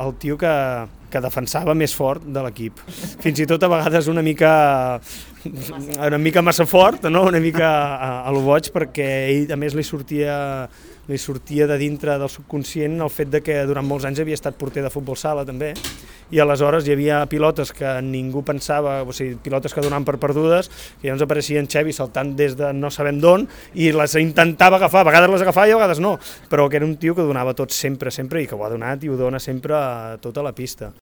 El tio que defensava més fort de l'equip. Fins i tot a vegades una mica massa fort, no? Una mica a lo boig, perquè ell a més li sortia de dintre del subconscient el fet de que durant molts anys havia estat porter de futbol sala també, i aleshores hi havia pilotes que ningú pensava, o sigui, pilotes que donaven per perdudes, que llavors apareixia en Xevi saltant des de no sabem d'on i les intentava agafar, a vegades les agafava i a vegades no, però que era un tio que donava tot sempre, i que ho ha donat i ho dona sempre a tota la pista.